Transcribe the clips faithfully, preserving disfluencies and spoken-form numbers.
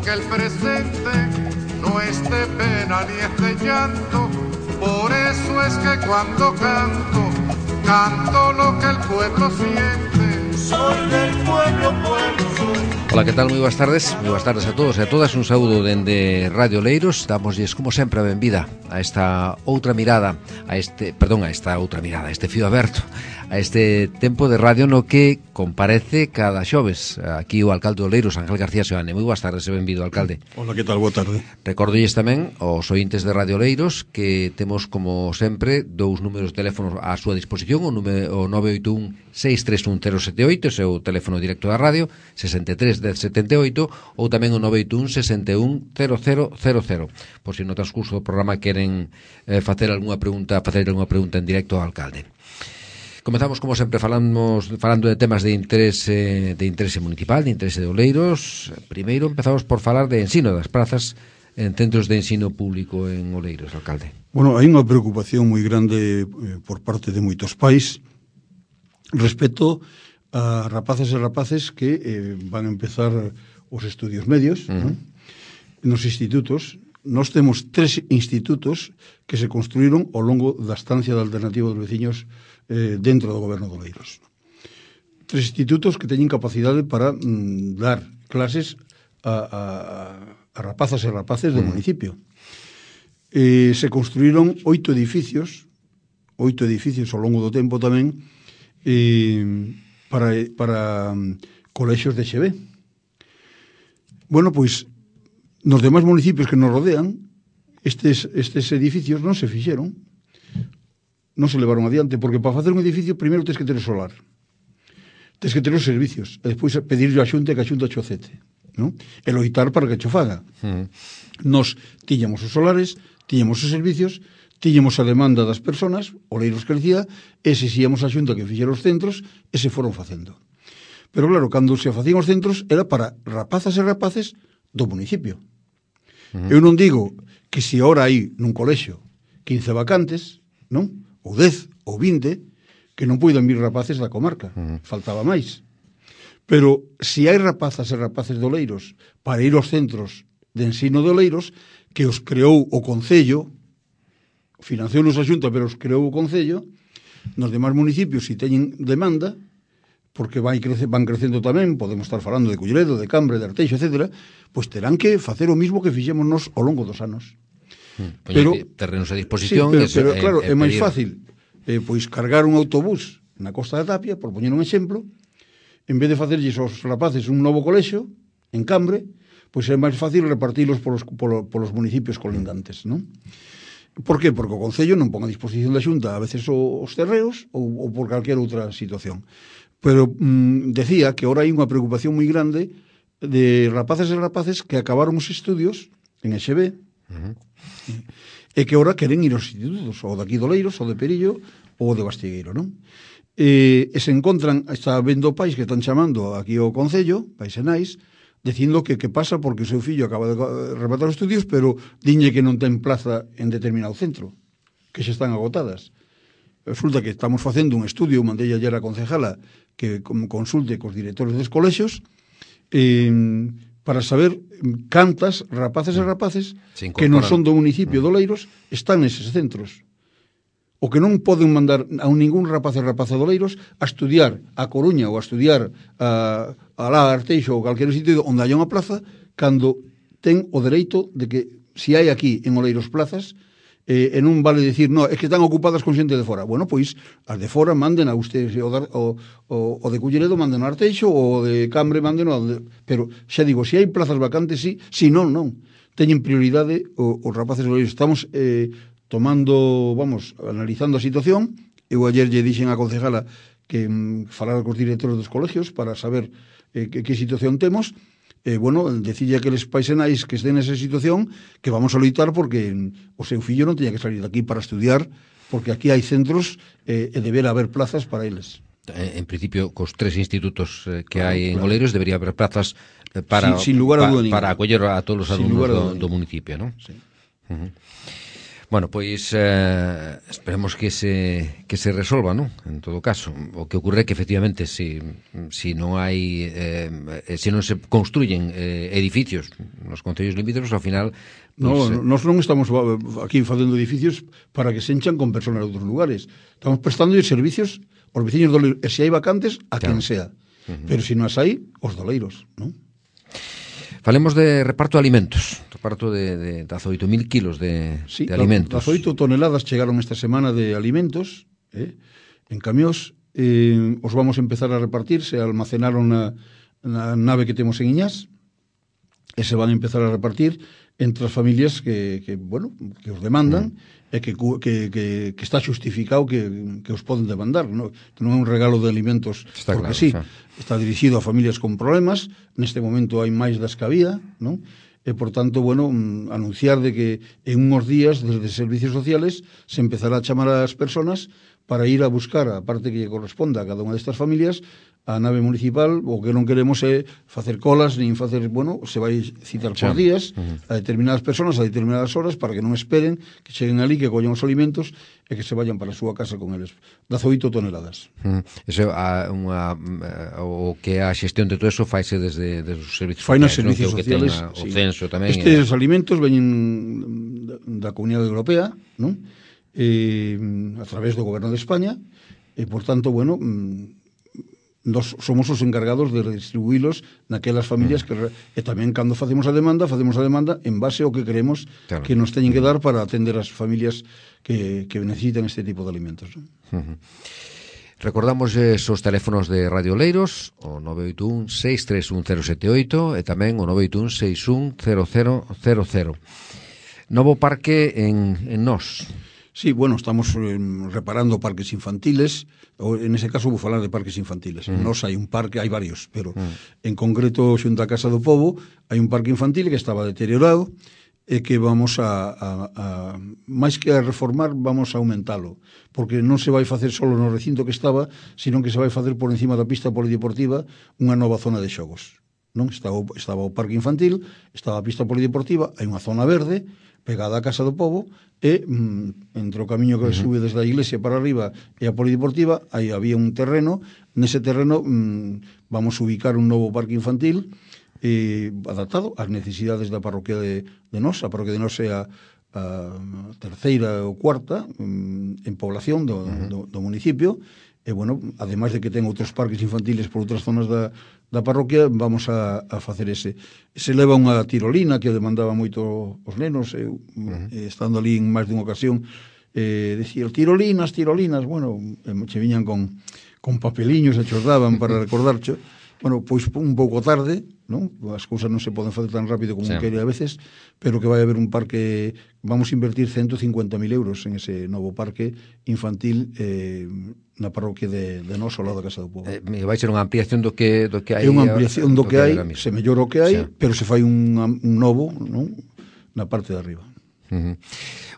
que el presente no es de pena ni es de llanto. Por eso es que cuando canto, canto lo que el pueblo siente. Soy del pueblo, pueblo soy. Ola, que tal? Moi boas tardes. Moi boas tardes a todos e a todas. Un saúdo dende Radio Oleiros. Damosles, como sempre, a benvida a esta outra mirada, a este, perdón, a esta outra mirada, a este fío aberto, a este tempo de radio no que comparece cada xoves aquí o alcalde de Oleiros, Ángel García Seoane. Moi boas tardes e benvido, alcalde. Hola, que tal? Boa tarde. Recordolles tamén aos ointes de Radio Oleiros que temos, como sempre, dous números de teléfono á súa disposición, o, número, o nove oito un seis tres un cero sete oito, ese é o teléfono directo da radio, sesenta e tres dez setenta e oito, ou tamén o nove oito un sesenta e un cero cero cero cero, por se no transcurso do programa queren eh, facer algunha pregunta, facer algunha pregunta en directo ao alcalde. Comezamos, como sempre, falamos, falando de temas de interese, de interese municipal, de interese de Oleiros. Primeiro empezamos por falar de ensino das prazas en centros de ensino público en Oleiros, alcalde. Bueno, hai unha preocupación moi grande eh, por parte de moitos pais respecto a rapaces e rapaces que eh, van a empezar os estudios medios, uh-huh. ¿no? Nos institutos. Nós temos tres institutos que se construíron ao longo da estancia da alternativa dos veciños eh, dentro do goberno de Oleiros. Tres institutos que teñen capacidade para mm, dar clases a, a, a rapazas e rapaces do uh-huh. municipio. Eh, se construíron oito edificios, oito edificios ao longo do tempo tamén, eh, para, para um, colexios de X B. Bueno, pois, nos demais municipios que nos rodean, estes, estes edificios non se fixeron, non se levaron adiante, porque para facer un edificio, primeiro tens que ter solar, tens que ter os servicios, e despois pedirle a xunta que a xunta chocete, non? E loitar para que cho faga. Uh-huh. Nos tiñamos os solares, tiñamos os servicios, tiñamos a demanda das persoas, Oleiros crecía, e se xíamos a xunta que fixera os centros, e se foron facendo. Pero claro, cando se facían os centros, era para rapazas e rapaces do municipio. Uh-huh. Eu non digo que se ora hai nun colexio quince vacantes, non? Ou dez, ou vinte, que non poidan vir rapaces da comarca. Uh-huh. Faltaba máis. Pero se hai rapazas e rapaces de Oleiros para ir aos centros de ensino de Oleiros, que os creou o Concello, financiou-nos a Xunta, pero os creou o Concello, nos demais municipios, se teñen demanda, porque vai crece, van crecendo tamén, podemos estar falando de Culleredo, de Cambre, de Arteixo, etcétera, pois terán que facer o mismo que fixemos nos ao longo dos anos. Hmm, pero terrenos a disposición. Sí, pero, es, pero eh, claro, eh, é máis pedir... fácil eh, pois cargar un autobús na Costa da Tapia, por poñer un exemplo, en vez de facerlles aos rapaces un novo colexio en Cambre, pois é máis fácil repartilos polos, polos, polos municipios colindantes, non? Por que? Porque o Concello non pon a disposición da Xunta a veces os terreos ou, ou por calquera outra situación. Pero mm, decía que ahora hai unha preocupación moi grande de rapaces e rapaces que acabaron os estudios en X B uh-huh. e que ahora queren ir aos institutos, ou de aquí de Oleiros, ou de Perillo, ou de Bastigueiro, non? E, e se encontran, está vendo pais que están chamando aquí ao Concello, pais e nais, dicindo que que pasa porque o seu fillo acaba de rematar os estudios, pero diñe que non ten plaza en determinado centro, que xa están agotadas. Resulta que estamos facendo un estudio, mandei ayer a concejala que consulte cos directores dos colexios eh, para saber cantas rapaces e rapaces que non son do municipio de Oleiros están neses centros. O que non poden mandar a ningún rapaz e rapaza de Oleiros a estudiar a Coruña ou a estudiar a, a lá a Arteixo ou calquer sitio onde haya unha plaza cando ten o dereito de que se hai aquí en Oleiros plazas Eh, e non vale dicir, no, é que están ocupadas con xente de fora. Bueno, pois, as de fora manden a ustedes, o, o, o, o de Culleredo manden a Arteixo, o de Cambre manden a... Pero, xa digo, se hai plazas vacantes, sí, si non, non. Teñen prioridade o, os rapaces de Oleiros. Estamos eh, tomando, vamos, analizando a situación. Eu ayer lle dixen a concejala que mm, falara cos directores dos colegios para saber eh, que, que situación temos. Eh, bueno, decille a aqueles pais e nais que estén nesa situación que vamos a loitar porque o seu fillo non teña que salir daqui para estudiar, porque aquí hai centros eh, e deberá haber plazas para eles. En principio, cos tres institutos eh, que claro, hai en claro. Oleiros, debería haber plazas eh, para, sin, sin lugar a pa, duda para acoller a todos os alumnos do, do municipio, non? Sí. Uh-huh. Bueno, pois eh, esperemos que se que se resolva, non? En todo caso, o que ocurre é que efectivamente si, si non hai eh, se non se construyen eh, edificios nos concellos limítrofes, ao final No, pues, eh... nós non estamos aquí facendo edificios para que se enchan con personas de outros lugares. Estamos prestando servicios aos veciños do Leiro, e se hai vacantes, a claro. Quen sea. Uh-huh. Pero se non as hai, os doleiros, non? Falemos de reparto de alimentos, reparto de, de dezaoito mil kilos de, sí, de alimentos. dezaoito toneladas chegaron esta semana de alimentos eh, en camións. Eh, os vamos a empezar a repartir, se almacenaron na, na nave que temos en Iñás, e se van a empezar a repartir entre as familias que, que bueno, que os demandan, mm. e que, que, que, que está justificado que, que os poden demandar, non? Non é un regalo de alimentos está porque claro, sí, xa. Está dirixido a familias con problemas, neste momento hai máis das que había, non? E, por tanto, bueno, anunciar de que en uns días, desde Servicios Sociales, se empezará a chamar a as persoas para ir a buscar a parte que lle corresponda a cada unha destas familias a nave municipal. O que non queremos é facer colas, nin facer, bueno, se vai citar por días uh-huh. a determinadas persoas a determinadas horas para que non esperen que cheguen ali, que collen os alimentos e que se vayan para a súa casa con eles. dezaoito toneladas. Uh-huh. Eso, a, unha, o que a xestión de todo eso faise desde, desde os servicios Fai sociales, servicios non? sociales, Que sí. O censo tamén. Estes é... alimentos veñen da Comunidade Europea, non? Eh, a través do Goberno de España, e, por tanto, bueno, nos somos os encargados de redistribuílos naquelas familias que, e tamén cando facemos a demanda, facemos a demanda en base ao que queremos claro. Que nos teñen que dar para atender as familias que, que necesitan este tipo de alimentos, ¿no? Uh-huh. Recordamos esos teléfonos de Radio Oleiros, o nove oito un, seis tres un, cero sete oito e tamén o nove oito un, seis un, cero cero cero cero. Novo parque en, en Nós. Sí, bueno, estamos eh, reparando parques infantiles, ou en ese caso vou falar de parques infantiles. Mm. Nos hai un parque, hai varios, pero mm. en concreto xunto a Casa do Pobo hai un parque infantil que estaba deteriorado e que vamos a, a, a máis que a reformar, vamos a aumentalo, porque non se vai facer solo no recinto que estaba, sino que se vai facer por encima da pista polideportiva unha nova zona de xogos. Non estaba, estaba o parque infantil, estaba a pista polideportiva, hai unha zona verde pegada á Casa do Pobo, e mm, entre o camiño que uh-huh. sube desde a iglesia para arriba e a polideportiva, aí había un terreno, nese terreno mm, vamos a ubicar un novo parque infantil eh, adaptado ás necesidades da parroquia de, de Nós. A parroquia de Nós é a, a terceira ou cuarta mm, en población do, uh-huh. do, do municipio, e, bueno, ademais de que ten outros parques infantiles por outras zonas da, da parroquia, vamos a, a facer ese. Se leva unha tirolina que demandaba moito os nenos, eu, uh-huh. eh, estando ali en máis dunha ocasión, eh, decía, tirolinas, tirolinas, bueno, che viñan con, con papeliños e chos daban para recordarcho. Bueno, pois un pouco tarde, non? As cousas non se poden facer tan rápido como sí. quere a veces, pero que vai haber un parque, vamos a invertir ciento cincuenta mil euros en ese novo parque infantil eh, na parroquia de, de Nós, ao lado da Casa do Pobo. Eh, vai ser unha ampliación do que, do que hai. É unha ampliación do, do que, que hai, se mellora o que hai, sí. pero se fai un, un novo, non? Na parte de arriba. Uh-huh.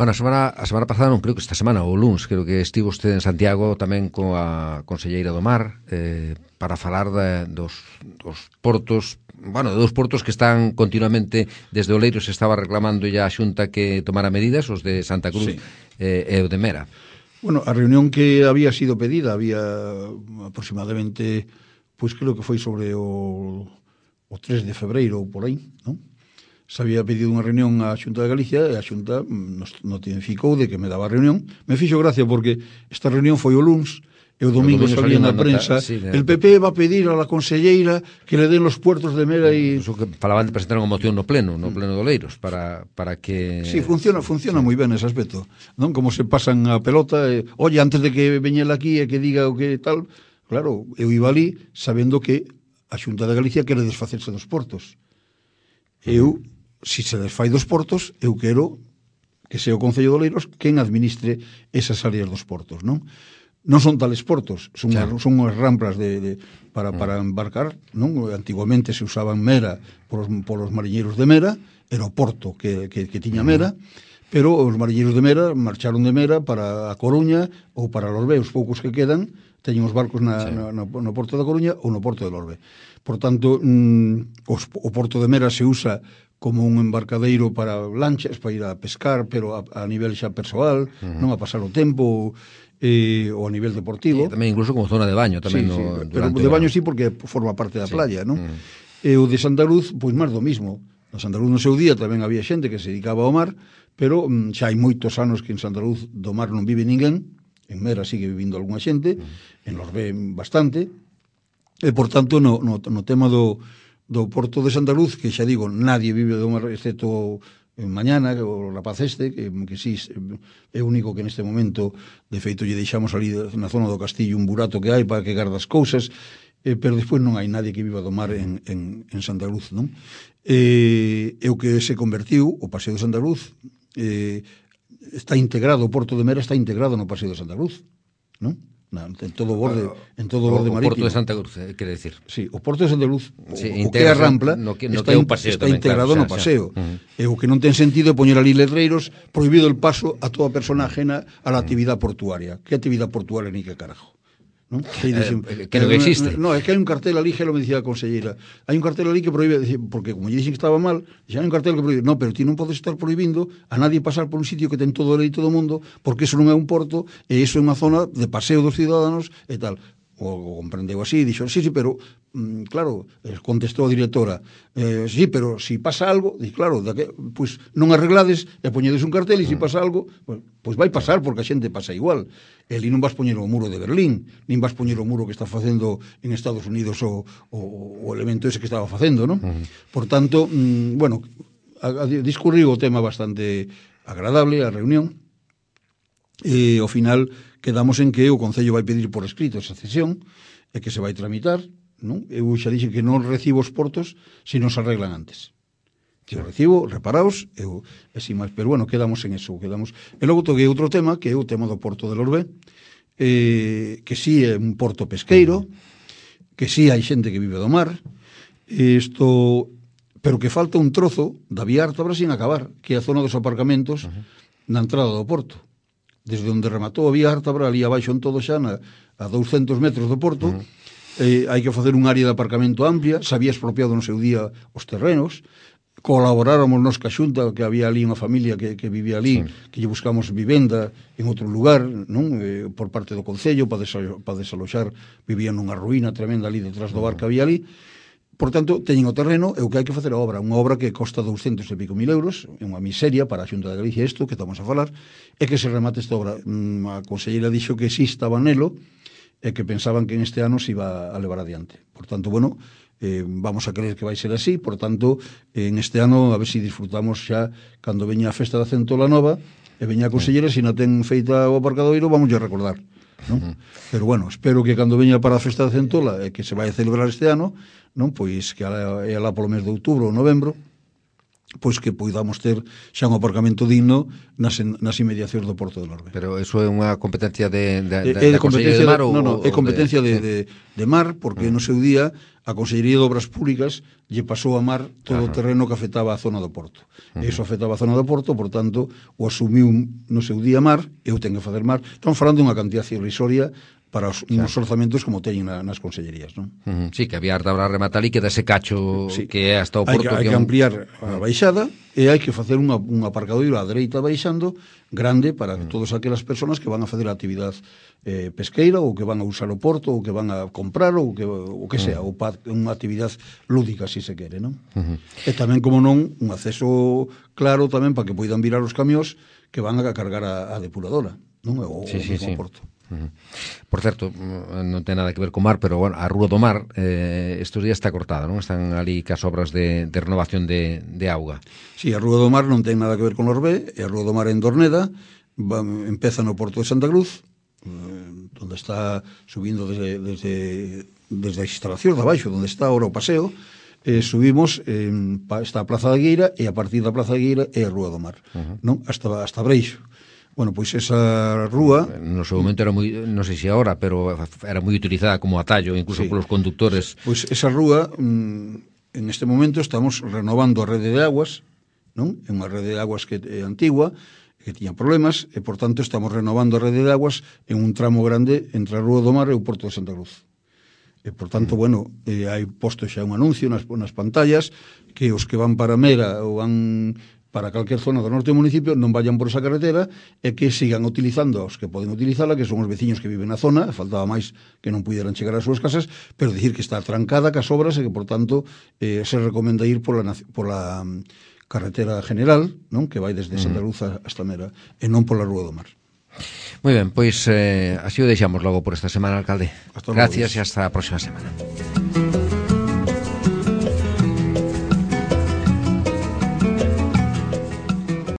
Bueno, a semana, a semana pasada, non creo que esta semana, o luns, creo que estivo usted en Santiago tamén coa conselleira do Mar eh, para falar de, dos, dos portos, bueno, dos portos que están continuamente, desde Oleiros se estaba reclamando ya a Xunta que tomara medidas, os de Santa Cruz sí. eh, e o de Mera. Bueno, a reunión que había sido pedida, había aproximadamente, pois pues creo que foi sobre o, o tres de febreiro ou por aí, non? Se había pedido unha reunión á Xunta de Galicia e a Xunta nos notificou de que me daba a reunión. Me fixo gracia porque esta reunión foi o luns e o domingo, o domingo salía na prensa nota, sí, el P P va a pedir a la conselleira que le den los puertos de Mera e... Eso que falaban de presentar unha moción no pleno, no pleno de Oleiros, para, para que... Sí, funciona funciona sí. moi ben ese aspecto, non? Como se pasan a pelota, e, oye, antes de que veñela aquí e que diga o que tal, claro, eu iba ali sabendo que a Xunta de Galicia quere desfacerse dos portos. Eu... si se desfai dos portos, eu quero que sea o Concello de Oleiros quen administre esas áreas dos portos, non? Non son tales portos, son, claro. son unhas rampas de, de, para, para embarcar, non? Antiguamente se usaban Mera por os, por os mariñeiros de Mera, era o porto que, que, que tiña Mera, pero os marilleiros de Mera marcharon de Mera para a Coruña ou para Lorbe, os poucos que quedan teñen os barcos na, sí. na, no, no porto da Coruña ou no porto de Lorbe. Por tanto, mm, os, o porto de Mera se usa como un embarcadeiro para lanchas, para ir a pescar, pero a, a nivel xa persoal, uh-huh. non a pasar o tempo, eh, ou a nivel deportivo. E tamén incluso como zona de baño, tamén. Sí, no, sí, pero de baño sí, porque forma parte da sí. playa, non? Uh-huh. E o de Santa Luz, pois máis do mismo. No Santa Luz no seu día tamén había xente que se dedicaba ao mar, pero mm, xa hai moitos anos que en Santa Luz do mar non vive ninguén, en Mera sigue vivindo algunha xente, uh-huh. en Lorbe bastante, e por tanto no, no, no tema do do porto de Santa Luz, que xa digo, nadie vive do mar, excepto en mañana, o rapaz este, que, que sí, é único que neste momento, de feito, lle deixamos ali na zona do castillo un burato que hai para que garda as cousas, eh, pero despois non hai nadie que viva do mar en, en, en Santa Luz, non? Eh, é o que se convertiu, o Paseo de Santa Luz, eh, está integrado, o Porto de Mera está integrado no Paseo de Santa Luz, non? Na, en todo o borde, en todo o borde o marítimo. Porto de Santa Cruz, eh, quere decir. Sí, o Porto de Santa Cruz, sí, o, o que é a Rampla, no que, no está, que un paseo está tamén, integrado claro, no xa, paseo. xa. Uh-huh. E o que non ten sentido é poñer ali letreiros prohibido el paso a toda persona ajena a la actividad portuaria. Que actividad portuaria ni que carajo? ¿No? Que, dicen, eh, que non existe. No, é que hai un cartel ali, que lo me dicía a conselleira. Hai un cartel ali que prohíbe, porque como lle dixen que estaba mal, xa hai un cartel que prohíbe. No, pero ti non podes estar prohibindo a nadie pasar por un sitio que ten todo o leito do mundo, porque eso non é un porto, e eso é unha zona de paseo dos ciudadanos e tal. O, o comprendeu así, dixo, sí, sí, pero mm, claro, contestou a directora, eh, sí, pero si pasa algo, di, claro, que, pois non arreglades e poñedes un cartel e si pasa algo, pois, pois vai pasar porque a xente pasa igual. E ali non vas poñer o muro de Berlín, nin vas poñer o muro que está facendo en Estados Unidos o, o, o elemento ese que estaba facendo, non? Uh-huh. Por tanto, mm, bueno, a, a, discurriu o tema bastante agradable, a reunión, e ao final quedamos en que o Concello vai pedir por escrito esa cesión e que se vai tramitar, non? Eu xa dixen que non recibo os portos se non se arreglan antes. Que o recibo, reparaos, eu, e sin máis, pero bueno, quedamos en eso, quedamos. E logo toquei outro tema, que é o tema do Porto de Lorbe, eh, que sí é un porto pesqueiro, que sí hai xente que vive do mar, isto, pero que falta un trozo da vía Ártabra sin acabar, que é a zona dos aparcamentos uh-huh. na entrada do porto. Desde onde rematou a vía Ártabra, ali abaixo en todo xa, na, a douscentos metros do porto, uh-huh. eh, hai que facer un área de aparcamento amplia, se había expropiado no seu día os terrenos, colaboráramos nos ca Xunta, que había ali unha familia que, que vivía ali, sí. que lle buscamos vivenda en outro lugar, non? Eh, por parte do Concello, para desalo, para desaloxar, vivían nunha ruína tremenda ali detrás do bar que había ali. Por tanto, teñen o terreno e o que hai que facer a obra, unha obra que costa douscentos e pico mil euros, é unha miseria para a Xunta de Galicia isto, que estamos a falar, é que se remate esta obra. A conselleira dixo que sí estaba nelo e que pensaban que en este ano se iba a levar adiante. Por tanto, bueno, eh, vamos a creer que vai ser así, por tanto, en este ano a ver se si disfrutamos xa cando veña a festa da Centola Nova e veña a conselleira, se non ten feita o aparcadoiro, vamos a recordar. Non? Uh-huh. Pero bueno, espero que cando veña para a festa da Centola e que se vai a celebrar este ano, non, pois que é lá polo mes de outubro ou novembro, pois que poidamos ter xa un aparcamento digno nas, nas inmediacións do Porto de Lorbe. Pero eso é unha competencia de, de, de, é de da Consellería de Mar ou... Non, non, é competencia de, de, de, de, de Mar, porque uh-huh. no seu día a Consellería de Obras Públicas lle pasou a Mar todo uh-huh. o terreno que afectaba a zona do Porto. Uh-huh. E iso afectaba a zona do Porto, por tanto, o asumiu no seu día Mar, eu tenho que facer Mar. Estamos falando de unha cantidad irrisoria para os, claro. uns orzamentos como teñen na, nas consellerías, non? Uh-huh. Sí, que había Ártabra rematar e queda ese cacho sí. que é hasta o Porto. Hai que, hai que, que un... ampliar a baixada e hai que facer unha, un aparcadoiro á dereita baixando grande para uh-huh. todas aquelas persoas que van a facer a actividade eh, pesqueira ou que van a usar o porto ou que van a comprar ou que, o que sea, uh-huh. ou pa, unha actividade lúdica, se se quere, non? Uh-huh. E tamén, como non, un acceso claro tamén para que poidan virar os camións que van a cargar a, a depuradora, non? O, sí, o sí, sí. porto. Uh-huh. Por certo, non ten nada que ver co mar, pero bueno, a Rúa do Mar eh, estes días está cortada, non? Están ali cas obras de, de renovación de, de auga. Sí, a Rúa do Mar non ten nada que ver con Lorbe, e a Rúa do Mar en Dorneda va, empeza no Porto de Santa Cruz, eh, onde está subindo desde, desde, desde a instalación de abaixo, onde está ahora o paseo, eh, subimos, eh, está a Plaza da Gueira, e a partir da Plaza da Gueira é a Rúa do Mar, uh-huh. non? Hasta, hasta Breixo. Bueno, pois esa rúa... No seu momento era moi, non sei se agora, pero era moi utilizada como atallo, incluso sí. polos conductores. Pois esa rúa, en este momento estamos renovando a rede de aguas, non? É unha rede de aguas que é antigua, que tiña problemas, e, por tanto, estamos renovando a rede de aguas en un tramo grande entre a Rúa do Mar e o Porto de Santa Cruz. E, por tanto, bueno, eh, hai posto xa un anuncio nas, nas pantallas que os que van para Mera ou van para calquer zona do norte do municipio non vayan por esa carretera e que sigan utilizando os que poden utilizala, que son os veciños que viven na zona, faltaba máis que non puderan chegar ás súas casas, pero dicir que está trancada cas obras e que, por tanto, eh, se recomenda ir pola, pola carretera general, non, que vai desde Santa Cruz hasta Mera, e non pola Rúa do Mar. Moi ben, pois eh, así o deixamos logo por esta semana, alcalde. Hasta Gracias logo. e hasta a próxima semana.